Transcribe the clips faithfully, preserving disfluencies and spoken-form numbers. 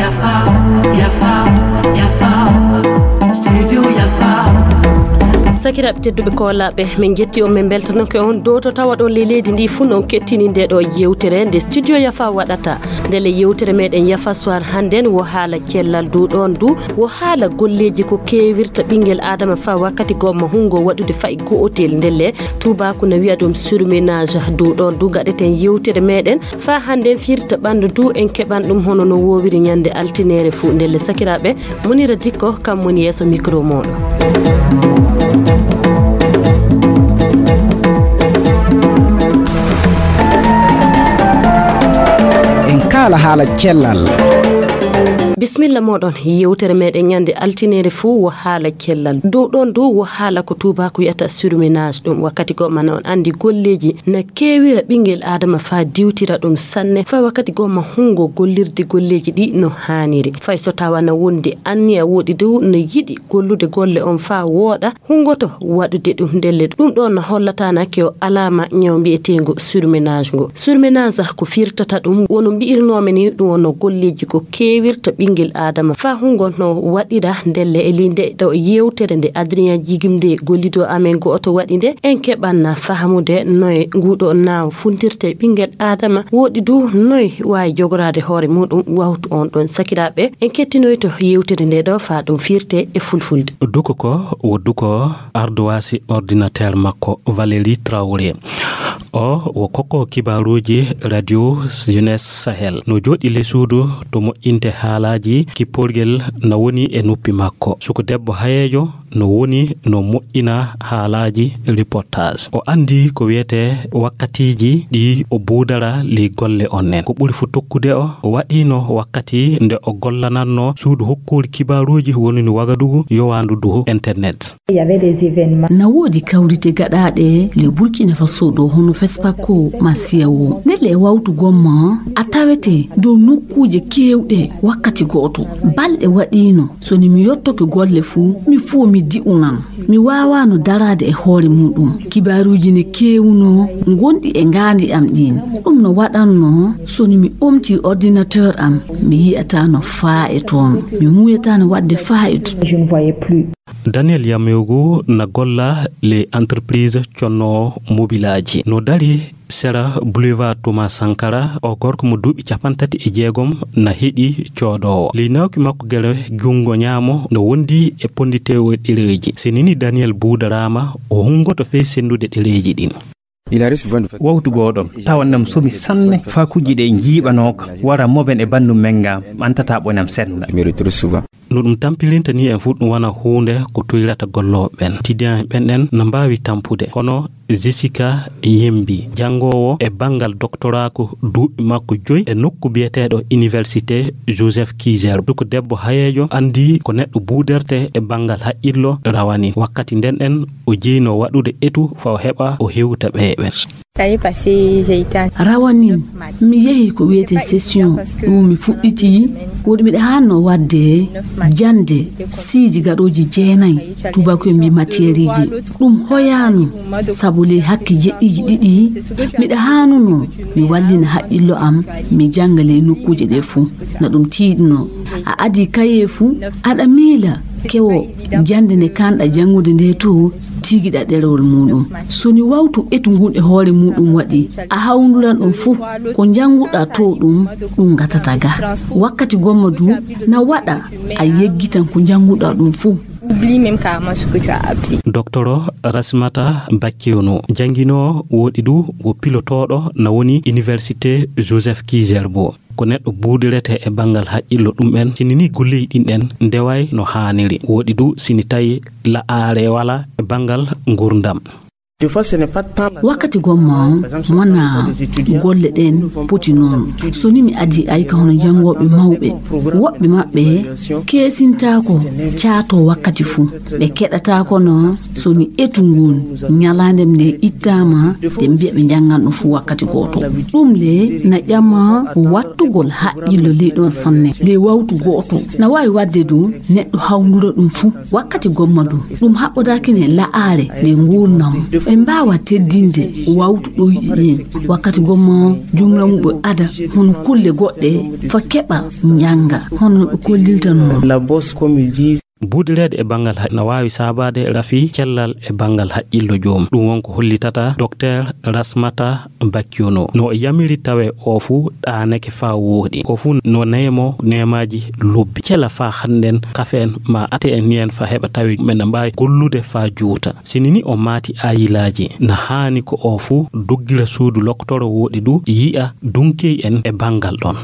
Yafa, yafa, yafa. Studio yafa. Sakiraaɓe tedduɓe koolaaɓe, min njetti on, min mbeltanoke on dow to tawa ɗon ley leydi ndi fuu, non kettini nde ɗo yewtere nde Studio Yafa waɗata. Ndelle yewtere meɗen Yafa Soir hannden wo haala cellal, dow ɗon du wo haala golleeji ko keewirta ɓinngel Aadama faa wakkati gomma hunngo waɗude fa'i go'otel. Ndelle tuubaaku na wi'a ɗum surmenage. Dow ɗon du gaɗeten yewtere meɗen faa hannden firta ɓanndu du en keɓan ɗum hono no woowiri ñannde altineere fuu. Ndelle sakiraaɓe, Munira Dikko kam woni yeeso mikro mooɗon. En kaala haala cellal. Bisimilla mooɗon. Yewtere meɗen ñannde altineere fuu wo haala cellal. Dow ɗon du wo haala ko tuubaaku wi'ata surmenage. Ɗum wakkati gomma na on anndi golleeji na keewira ɓinngel Aadama faa diwtira ɗum sanne. Faa wakkati gomma hunngo gollirde golleeji ɗi no haaniri. Fay so tawa na wondi anniya woɗɗi du no yiɗi gollude golle on faa wooɗa, hunngoto waɗude ɗum. Ndelle ɗum ɗon na hollataanake o alaama ñaw mbi'eteengu surmenage ngu. Surmenage ko firtata ɗum, wono mbi'irnoomi ni, ɗum wono golleeji ko keewirta ɓinngel Aadama faa hunngo no waɗira. Ndelle e linde ɗo yewtere nde Adrien Jigimde gollido amen go'oto waɗi nde, en keɓan na fahamude noye nguɗo naaw funtirte ɓinngel Aadama, woɗɗi du noye waawi jogoraade hoore muɗum. Wawtu on ɗon sakiraaɓe, en kettinoyto yewtere nde ɗo faa ɗum firte e fulfulde. Duko ko wo duko ardowaasi ordinateur makko Valérie Traoré. O wo kokko kibaaruuji Radio Jeunesse Sahel. No jooɗi ley suudu to moƴƴinte haalaaji, kipporgel na woni e noppi makko. Suko debbo hayeejo no woni no moƴƴina haalaaji reportage. O anndi ko wiyetee wakkatiiji ɗi o buudara ley golle on nen. Ko ɓuri fu tokkude o, o waɗiino wakkati nde o gollanannoo suudu hokkuuri kibaaruuji woni no Wagadugu yowaandu du internet. Na woodi kawrite gaɗaaɗe le Burkina Faso ɗo hono Fespako ma Siyawo. Ndelle e wawtu gomma a tawete dow nokkuuje keewɗe wakkati gooto. Balɗe waɗiino, so ni mi yottoke golle fuu, mi fuu mi di'unan. Mi waawaano daraade e hoore muuɗum. Kibaaruuji ne keewunoo ngonɗi e ngaandi am ɗiin. Ɗum no waɗannoo so ni mi omtii ordinateur am, mi yi'ataano faa e toon. Mi muuyataano waɗde faa e toon. Daniel Yamewgu na golla le entreprise conno mobilaaji. No dari sera Boulevard Thomas Sankara, o gorko mo duuɓi capantati e jeegom na heɗi coodoowo. Ley nawki makko gere junngo ñaamo no wondi e ponditeewo ɗereeji. Si nini Daniel buudaraama, o hunngoto fey senndude ɗereeji ɗin. Wawtu gooɗo, tawa nam somi sanne, faa kujji ɗe njiiɓanooka, wara moben e banndum men nga, ɓantata ɓoynam sennda. No ɗum tampirinta ni en fuu ɗum wona huunde ko toyrata gollooɓe ɓen. Tidiyan ɓen ɗen no mbaawi tampude, kono Jessica Yembi, janngoowo e banngal doktoraaku duuɓi makko joyi e nokku biyeteeɗo Université Joseph Kizerbo. Ko debbo hayeejo anndi ko neɗɗo buudertee e banngal haqqillo rawanin. Wakkati nden ɗen o jeyno waɗude etu faa o heɓa o hewta ɓee ɓen. Rawanin, mi yehi ko wiyetee session, ɗum mi fuɗɗiti, woɗi miɗa haanno waɗde jannde siiji gaɗooji jeenayi, tubakoye mbi matièreji. Ɗum hoyaano, sabu ley hakke jeɗɗiiji ɗiɗi, miɗa haanunoo mi wallina haqqillo am, mi jannga ley nokkuuje ɗe fuu. Na ɗum tiiɗnoo. A adii kayee fuu, aɗa miila kewo jannde nde kaanɗa janngude nde to, tiigiɗa ɗerewol muuɗum. So ni wawtu etu ngun e hoore muuɗum waɗi, a hawnduran ɗum fuu, ko njannguɗa to ɗum, ɗum gatata ga. Wakkati gomma du, na waɗa a yeggitan ko njannguɗa ɗum fuu. Doktoro Rasmata Bakkewno, jannginoowo woɗi du wo pilotooɗo na woni Université Joseph Kizerbo. Ko neɗɗo buudiretee e banngal haqqillo ɗum en, sini ni golleeji ɗin ɗen ndeway no haaniri. Woɗi du sini tawi la'aare wala e banngal ngurdam. Wakkati gomma wona golle ɗen poti noon. So ni mi adii ayka hono janngooɓe mawɓe, woɓɓe maɓɓe keesintaako caato wakkati fuu. Ɓe keɗataako no so ni etu ngun ñalaande nde ittaama, ɓe mbiya ɓe njanngan ɗum fuu wakkati gooto. Ɗum le na ƴama wattugol haqqillo ley ɗon sanne, ley wawtu gooto. Na waawi waɗde du neɗɗo hawndura ɗum fuu wakkati gomma du. Ɗum haɓɓodaaki ne la'aare nde nguurnam. Ɓe mbaawa teddinde wawtu ɗoyɗi ɗin. Wakkati gomma jumla mum ɓe ada hono kulle goɗɗe fa keɓa njannga hono no ɓe kollirta noon. La bosse, comme ils disent. Buudireede e banngal haqqillo na waawi saabaade rafi cellal e banngal haqqillo joom. Ɗum won ko hollitata Docteur Rasmata Bakiono. No o yamiri tawe o fuu ɗaanake faa wooɗi. O fuu no neemo neemaaji lobbi. Cela faa hannden kafen ma ate en niyen faa heɓa tawi men na mbaawi gollude faa juuta. Sini ni o maati ayilaaji, na haani ko o fuu doggira suudu lokkotoro wooɗi du yi'a dunkey en e banngal ɗon.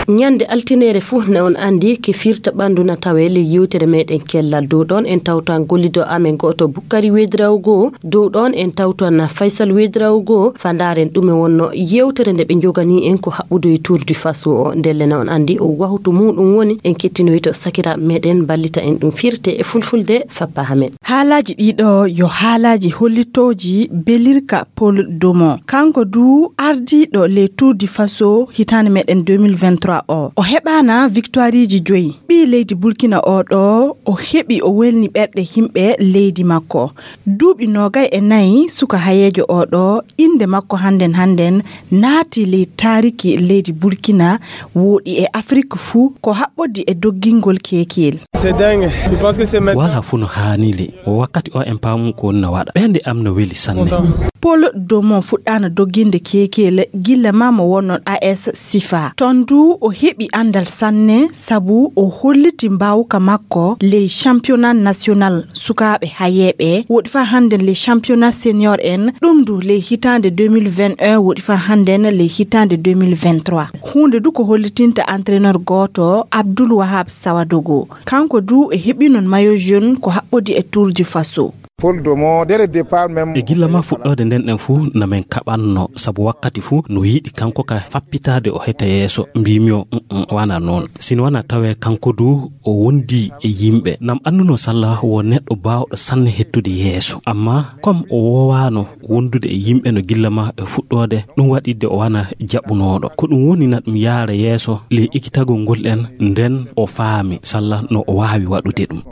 Ñande altineere fuu na on anndi ke firta ɓanndu na tawe ley yewtere meɗen kellal. Dow ɗon en tawta gollido amen gooto Bukkari Wedrawo goo. Dow ɗon en tawta na Faysal Wedrawo goo. Fa ndaaren ɗume wonno yewtere nde ɓe njogani en ko haɓɓudu e Tour du Faso o. Ndelle na on anndi o wahtu muɗum woni en kettinoyto sakiraaɓe meɗen mballita en ɗum firte e fulfulde fappa hamen. Haalaaji ɗiɗo yo haalaaji hollitooji belirka Paul Domo. Kanko du ardiiɗo le Tour du Faso hitaande meɗen deux mille vingt-trois o. O heɓaana victoireji joyi. Ɓii leydi Burkina o ɗo o heɓi o welni ɓerɗe himɓe leydi makko. Duuɓi noogay e nayi suka hayeejo o ɗo innde makko hannden hannden naati ley taariki leydi Burkina wooɗi e Afrik fuu ko haɓɓoddi e doggingol keekiyel. C'est dingue. Je pense que c'est maintenant. Wala fuu no haani le. Wakkati o en paamu ko woni no waɗa. Ɓernde am no weli sanne. Content. Paul Domo fuɗɗaana dogginde keekiyel gilla ma mo wonno A S Sifa. Ton du o heɓi anndal sanne sabu o holliti mbaawka makko ley championnat national sukaaɓe hayeeɓe. Woɗi faa hannden ley championnat senior en. Ɗum du ley hitaande deux mille vingt et un, woɗi faa hannden ley hitaande deux mille vingt-trois. Huunde du ko hollitinta entraîneur gooto, Abdoul Wahab Sawadogo. Kanko du e heɓi non maillot jaune ko haɓɓodi e Tour du Faso. Paul Domo, dès le départ même. E gilla ma fuɗɗoode nden ɗen fuu na men kaɓanno, sabu wakkati fuu no yiɗi kanko ka fappitaade o heta yeeso. Mbiimi o, "Mm, mm, wana noon." Sino wana tawe kanko du o wondi e yimɓe. Nam annduno salla wo neɗɗo baawɗo sanne hettude yeeso. Amma comme o woowaano wondude e yimɓe no gilla ma e fuɗɗoode, ɗum waɗi de o wana jaɓunooɗo. Ko ɗum woni na ɗum yaara yeeso ley ekitagol ngol ɗen, nden o faami salla no o waawi waɗude ɗum.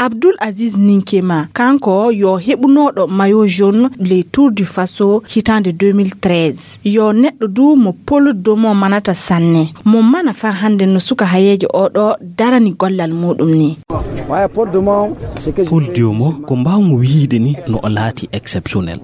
Abdoul Aziz Ninkema, kanko yo heɓunooɗo maillot jaune ley Tour du Faso hitaande deux mille treize. Yo neɗɗo du mo Paul Domo manata sanne. Mo mana faa hannde no suka hayeejo o ɗo darani gollal muɗum ni. Waya Paul Domo, c'est que Paul Diomo, ko mbaawmi wiyde ni no o laati exceptionnel.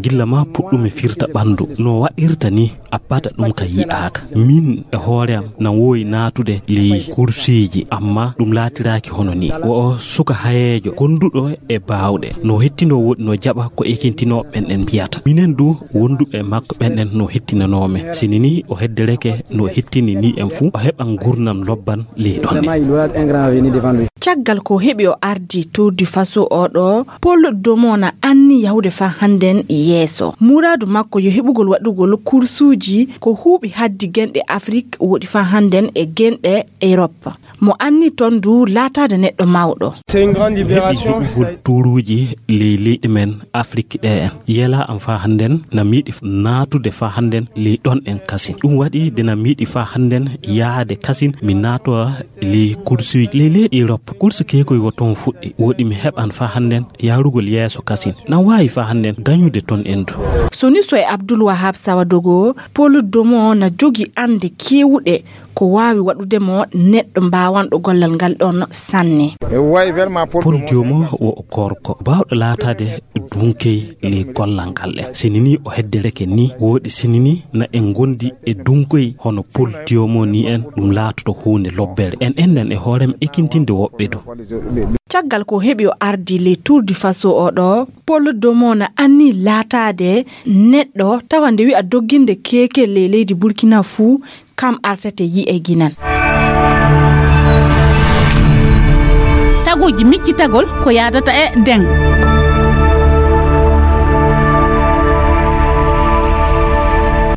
Gilla ma puɗɗumi firta ɓanndu, no waɗirta ni abada ɗum ka yi'aaka. Min e hoore am na woowi naatude ley kursiiji, amma ɗum laatiraaki hono ni. Wo o suka hayeejo, gonduɗo e baawɗe. No hettinoo woɗi no jaɓa ko ekintinoo ɓen en mbiyata. Minen du wonduɓe e makko ɓen en no hettinanoo men. Sini ni o heddereke no hettini ni en fuu, o heɓan ngurnam lobban ley ɗon ne. Vraiment, il aura un grand avenir devant lui. Caggal ko heɓi o ardi Tour du Faso o ɗo, Paul Domo na anni yahude faa hannden yeeso. Muraadu makko yo heɓugol waɗugol kursuuji ko huuɓi haddi genɗe Afrik woɗi faa hannden e genɗe Europe. Mo anni ton du laataade neɗɗo mawɗo. C'est une grande libération. Heɓi heɓugol tuuruuji ley leyɗe men Afrik ɗe en. Yela am faa hannden na miiɗi naatude faa hannden ley ɗon en kasin. Ɗum waɗi de na miiɗi faa hannden yaade kasin mi naatowa ley kursuuji ley leyɗe Europe. Kursu keekoy wo ton fuɗɗi. Woɗi mi heɓan faa hannden yaarugol yeeso kasin. Na waawi faa hannden gañude ton en du. Soni so e Abdul Wahab Sawadogo, Paul Domo na jogi annde keewuɗe ko waawi waɗude mo neɗɗo mbaawanɗo gollal ngal ɗon sanne. E way, vraiment, Paul Paul Domo Diomo wo o korko baawɗo laataade dunkey ley gollal ngal ɗen. Sini ni o heddereke ni, woɗi sini ni na en ngondi e dunkey hono Paul Diomo ni en, ɗum laatoto huunde lobbere. En ennan e hoorem ekintinde woɓɓe du. Caggal ko heɓi o ardi ley Tour du Faso o ɗo, Paul Domo na anni laataade neɗɗo tawa nde wi'a dogginde keeke ley leydi Burkina fuu, kam artete yi'e ginan. Taguuji miccitagol ko yaadata e deŋ.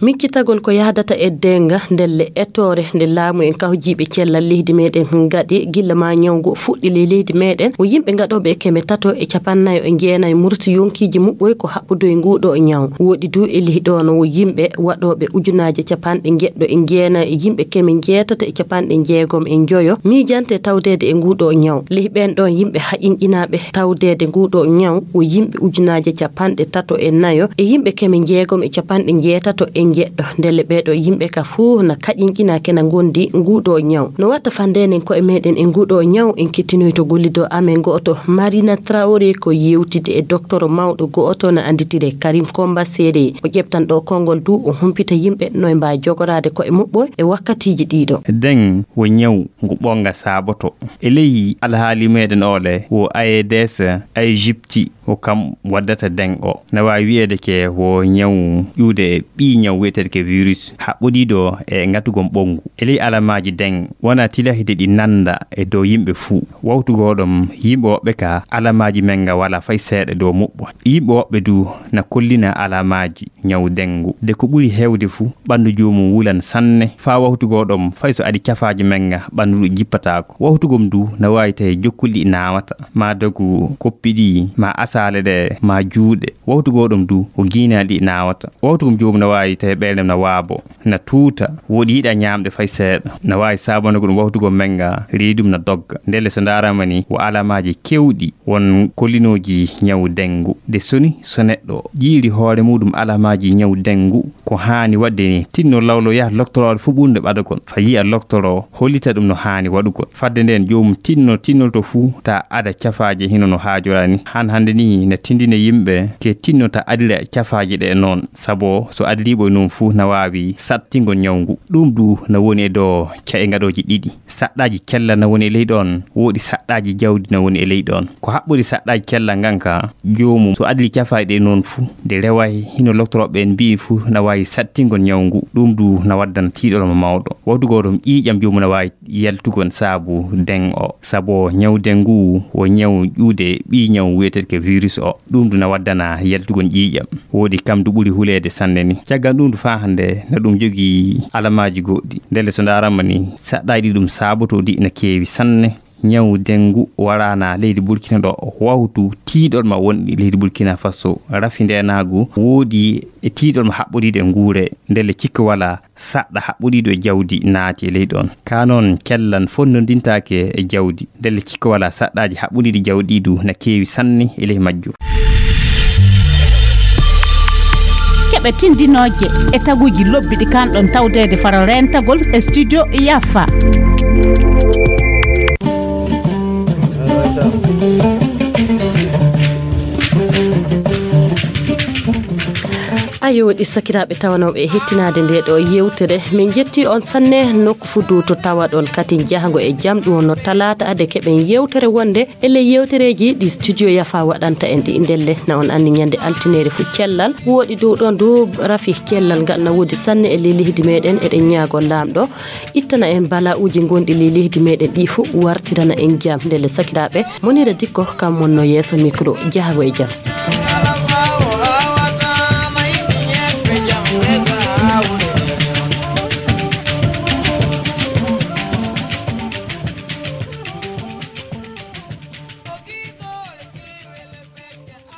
Miccitagol ko yahdata e dennga ndelle ettoore nde laamu en kawjiiɓe cellal leydi meɗen ngaɗi gilla ma ñaw ngu fuɗɗi ley leydi meɗen, o yimɓe ngaɗooɓe e keme tato e capannayo e jeenayo murti yonkiiji muɓɓoy ko haɓɓudoy nguuɗo ñaw. Woɗi du e ley ɗoon o yimɓe waɗooɓe ujunaaje capanɗe njeɗɗo e jeenayo e yimɓe keme njeetato e capanɗe njeegom e njoyo miijante tawdeede e nguuɗo ñaw. Ley ɓeen ɗoon yimɓe haƴinƴinaaɓe tawdeede nguuɗo ñaw o yimɓe ujunaaje capanɗe tato e nayo e yimɓe keme njeegom e capanɗe njeetato e njeɗɗo. Ndelle ɓeeɗo yimɓe ka fuu na kaƴinƴina kena ngondi nguuɗo ñaw. No watta fandenen koye meɗen e nguuɗo ñaw, en kettinoyto gollido amen go'oto Marina Traoré ko yewtide e docteur mawɗo go'oto na anditire Karim Komba Sere. O ƴeftan ɗo konngol du o humpita yimɓe no e mbaa jogoraade koye muɓɓo e wakkatiiji ɗiɗo. Deng wo ñaw ngu ɓonga saaboto. E ley alhaali meɗen ole wo A E D S Aegypti o kam waddata deng o. Na waawi wi'eede ke wo ñaw ƴuude ɓii ñaw wi'eteede ke virus haɓɓodiiɗo e ngatugol ɓonngu. E ley alamaaji deng wona tilahide ɗi nanda e dow yimɓe fuu. Wawtu goo ɗom yimɓe woɓɓe ka alamaaji men nga wala fay seeɗa dow muɓɓo. Yimɓe woɓɓe du na kollina alamaaji ñaw dengu. De ko ɓuri heewde fuu, ɓanndu joomum wulan sanne, faa wawtu goo ɗom, fay so adi cafaaji men nga, ɓanndu ɗu jippataako. Wawtu gom du na waawi tawi jokkuli ɗi naawata, maa dogu koppi ɗi, maa asaale ɗe, maa juuɗe. Wawtu goo ɗom du, ko giinaali ɗi naawata. Wawtu gom joomum na waawi tawi ɓeynde na waabo, na tuuta, woɗi yiɗa ñaamde fay seeɗa. Na waawi saabonde ko ɗum wawtu gom men nga, reedum na dogga. Ndelle so ndaarama ni, wo alamaaji kewɗi won kollinooji ñaw dengu. De soni so neɗɗo ƴiiri hoore muɗum alamaaji ñaw dengu, ko haani waɗde ni, tinno lawlo yaha loktorooɗo fuu ɓurnde ɓadagol. Fa yi'a loktoro hollita ɗum no haani waɗugol. Fadde nden joomum tinno tinnolto fuu ta ada cafaaje hino no haajora ni. Han hannde ni na tindina yimɓe ke tinno ta adira cafaaje ɗe noon. Sabo so adiriiɓo e noon fuu na waawi sattingol ñaw ngu. Ɗum du na woni e dow ca'e ngaɗooji ɗiɗi. Saɗɗaaji cellal na woni e ley ɗoon, woodi saɗɗaaji jawdi na woni e ley ɗoon. Ko haɓɓori saɗɗaaji cellal ngan ka, joomum so adii cafaaɗi ɗe noon fuu, nde reway hino loktorooɓe ɓeen mbi'i fuu na waawi sattingol ñaw ngu, ɗum du na waddana tiiɗol mo mawɗo. Wawtu goo ɗom ƴiiƴam joomum na waawi yaltugol saabu deng o. Sabo ñaw deng ngu wo ñaw ƴuude ɓii ñaw wi'eteeɗo ke virus o. Ɗum du na waddana yaltugol ƴiiƴam. Woodi kam du ɓuri huleede sanne ni. Caggal ɗum du faa hannde na ɗum jogii alamaaji goɗɗi. Ndelle so ndaarama ni, saɗɗaaji ɗi ɗum saabotoo ɗi na keewi sanne. Ñaw dengu waraana leydi Burkina ɗo wawtu tiiɗol ma wonɗi leydi Burkina Faso. Rafi ndeenaagu woodi e tiiɗol ma haɓɓodiiɗo e nguure. Ndelle cikka wala saɗɗa haɓɓodiiɗo e jawdi naati e ley ɗoon. Ka noon kellan fonnondintaake e jawdi. Ndelle cikka wala saɗɗaaji haɓɓodiiɗi jawdi du na keewi sanne e ley majjum. Keɓe tindinooje e taguuji lobbi ɗi kanɗon tawdeede faro reentagol e studio Yafa. Ayo, ɗi sakiraaɓe tawanooɓe e hettinaade nde ɗo yewtere. Min njetti on sanne nokku fuu du to tawaɗon kadi jahango e jam ɗum no talaata ade keɓen yewtere wonde e ley yewtereeji ɗi studio Yafa waɗanta en ɗi. Ndelle na on anndi ñande altineere fuu cellal. Woɗi dow ɗon du rafi cellal ngal na woodi sanne e ley leydi meɗen. Eɗen ñaagoo Laamɗo ittana en bala'uuji ngonɗi ley leydi meɗen ɗi fuu wartirana en jam. Ndelle sakiraaɓe, Monira Dikko kam wonno yeeso micro jahango e jam.